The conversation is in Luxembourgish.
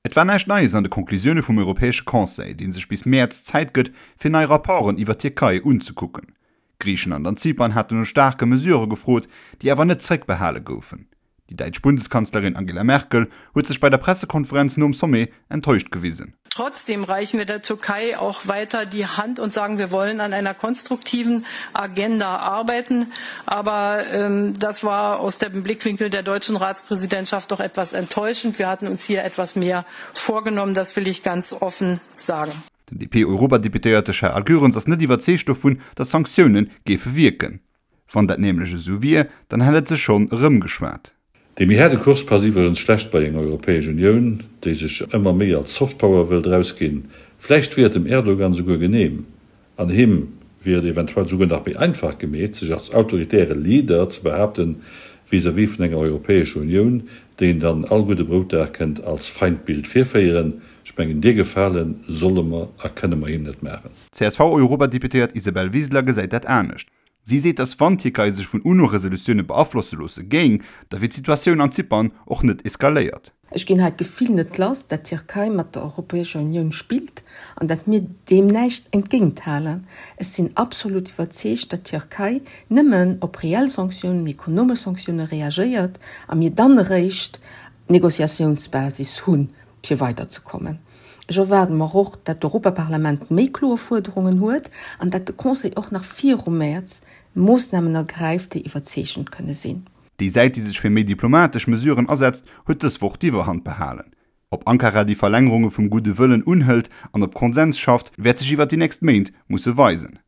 Et war näischt Neies an de Conclusioune vum Europäesche Conseil, dee sech bis Mäerz Zäit gëtt, fir nei Rapporten iwwer d'Tierkei unzekucken. Griichenland an Zypern haten no staarke Mesurë gefrot, déi awer net zréckbehale goufen. Déi däitsch Bundeskanzlerin Angela Merkel huet sech bei der Pressekonferenz nom Sommet enttäuscht gewisen. Trotzdem reichen wir der Türkei auch weiter die Hand und sagen, wir wollen an einer konstruktiven Agenda arbeiten. Aber ähm, das war aus dem Blickwinkel der deutschen Ratspräsidentschaft doch etwas enttäuschend. Wir hatten uns hier etwas mehr vorgenommen, das will ich ganz offen sagen. Den DP-Europadeputéierte Charles Goerens ass net iwwerzeegt dovun, datt Sanktioune géife wierken. Wann dat nämlech esou wier, dann hätt et sech schonn erëmgeschwat. Dee méi haarde Kurs passt iwwregens schlecht bei eng Europäesch Unioun, déi sech ëmmer méi als Softpower wëllt erausginn. Vläicht wier et dem Erdogan souguer genehm, an him wier et eventuell souguer nach méi einfach gemeet, sech als autoritäre Leader ze behaapten vis-à-vis vun enger Europäescher Unioun, déi en dann all gudde Broutdag kënnt als Feindbild virféieren. Ech mengen, dee Gefale solle mer a kënne mer him net maachen. D'CSV-Europadeputéiert Isabel Wiseler gesäit dat anescht. Si seet, datt wann d'Tierkei sech vun UNO-Resolutioune beaflosse loosse géing, da wier d'Situatioun an Zypern och net eskaléiert. Ech ginn hei d'Gefill net lass, dat d'Tierkei mat der Europäescher Unioun spillt an dat mir deem näischt entgéint halen. Ech sinn absolut iwwerzeegt, dat d'Tierkei nëmmen op reell Sanktiounen, ekonomesch Sanktioune reagéiert a mir dann eréischt d'Negociatiounsbasis hunn, fir weiderzekommen. Ech erwaarde mer och, dat d'Europaparlament méi kloer Fuerderungen huet an dat de Conseil och nach virum Mäerz Moossnamen ergräift, déi iwwerzeegend kënne sinn. Déi Säit, déi sech fir méi diplomatesch Mesuren asetzt, huet dës Woch d'Iwwerhand behalen. Ob Ankara déi Verlängerunge vum gudde Wëllen unhëlt an op Konsens schafft, wäert sech iwwer déi nächst Méint musse weisen.